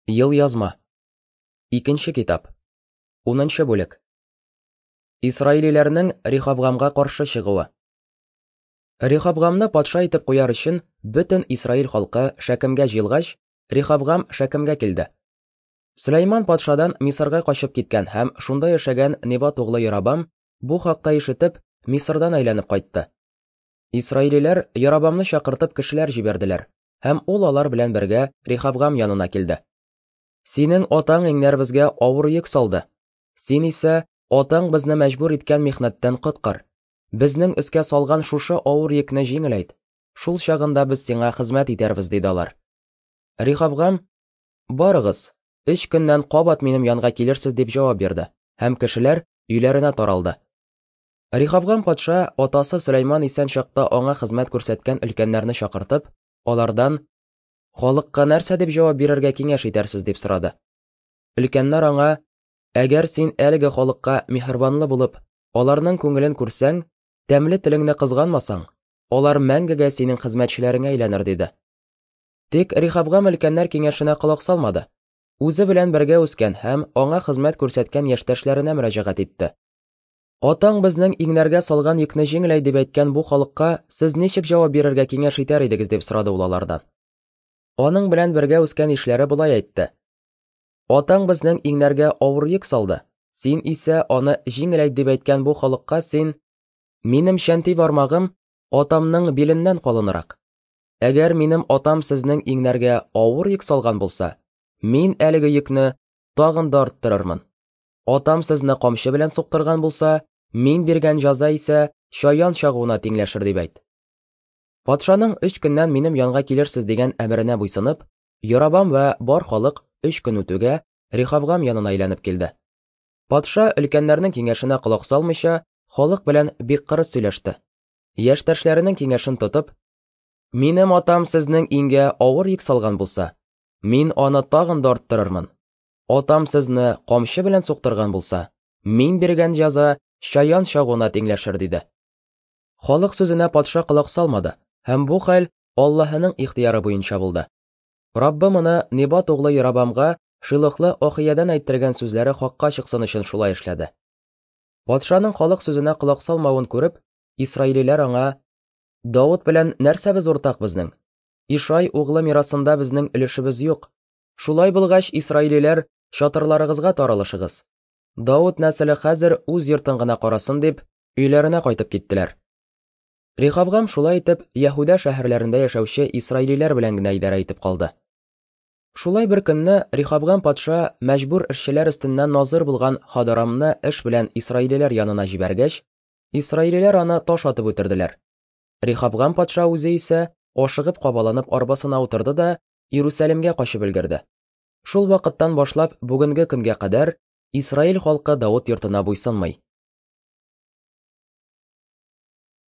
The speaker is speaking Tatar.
Елъязма. Икенче китап. Унынчы бүлек. Исраилиләрнең Рехабгамга каршы чыгуы. Рехабгамны патша итеп куяр өчен бөтен Исраил халкы Шәкемгә җыелгач, Рехабгам Шәкемгә килде. Сөләйман патшадан Мисырга качып киткән һәм шунда яшәгән Небат углы Ярабам бу хакта ишетеп, Мисырдан әйләнеп кайтты. Исраилиләр Ярабамны чакыртып кешеләр җибәрделәр, һәм ул алар белән бергә Рехабгам янына килде. Синең атаң иңнәребезгә авыр йөк салды. Син исә атаң безне мәҗбүр иткән михнәттән коткар. Безнең өскә салган шушы авыр йөкне җиңеләйт. Шул чагында без сиңа хезмәт итәрбез, диде алар. Рехабгам, барыгыз, өч көннән кабат минем янга килерсез, дип җавап бирде, һәм кешеләр өйләренә таралды. Рехабгам патша атасы Сөләйман исән чакта аңа хезмәт күрсәткән өлкәннәрне чакыртып, алардан халыкка нәрсә дип җавап бирергә киңәш итәрсез дип сорады. Өлкәннәр аңа, әгәр син әлеге халыкка миһербанлы булып, аларның күңелен күрсәң, тәмле телеңне кызганмасаң, алар мәңгегә синең хезмәтчеләреңә әйләнер, диде. Тик Рехабгам өлкәннәр киңәшенә колак салмады. Үзе белән бергә үскән һәм аңа хезмәт күрсәткән яшьтәшләренә мөрәҗәгать итте. Атаң безнең иңнәргә салган йөкне җиңеләй дип әйткән бу халыкка сез ничек җавап бирергә киңәш итәр идегез дип сорады ул алардан. Аның белән бергә үскән ишләре болай әйтте. Атаң безнең иңнәргә авыр йөк салды. Син исә аны җиңеләйт дип әйткән бу халыкка син минем чәнти бармагым атамның биленнән калынрак. Әгәр минем атам сезнең иңнәргә авыр йөк салган булса, мин әлеге йөкне тагын да арттырырмын. Атам сезне камчы белән суктырган булса, мин биргән җаза исә чаян чагуына тиңләшер дип әйт. Патшаның өч көннән минем янга килерсез дигән әмеренә буйсынып, Ярабам вә бар халык өч көн үтүгә Рехабгам янына әйләнеп килде. Патша өлкәннәрнең киңәшенә колак салмыйча, халык белән бик кырыс сөйләште. Яшьтәшләренең киңәшен тотып, минем атам сезнең иңгә авыр йөк салган булса, мин аны тагын да арттырырмын. Атам сезне камчы белән суктырган булса, мин биргән җәза чаян чагуына тиңләшер, диде. Халык сүзенә патша колак салмады, һәм бу хәл Аллаһының ихтыяры буенча булды. Раббы моны Небат углы Ярабамга Шилохлы Ахиядән әйттергән сүзләре хакка чыксын өчен шулай эшләде. Патшаның халык сүзенә колак салмавын күреп, исраилиләр аңа: Давыт белән нәрсәбез уртак безнең? Ишай углы мирасында безнең өлешебез юк. Шулай булгач, исраилиләр, чатырларыгызга таралышыгыз. Давыт нәселе хәзер үз йортын гына карасын дип, өйләренә кайтып киттеләр. Рехабгам шулай итеп Яһүдә шәһәрләрендә яшәүче исраилиләр белән генә идарә итеп калды. Шулай бер көнне Рехабгам патша мәҗбүр эшчеләр өстеннән назыр булган Хадорамны эш белән исраилиләр янына җибәргәч, исраилиләр аны таш атып үтерделәр. Рехабгам патша үзе исә ашыгып кабаланып арбасына утырды да Иерусалимгә качып өлгерде. Шул вакыттан башлап бүгенге көнгә кадәр Исраил халкы Давыт йортына буйсынмый.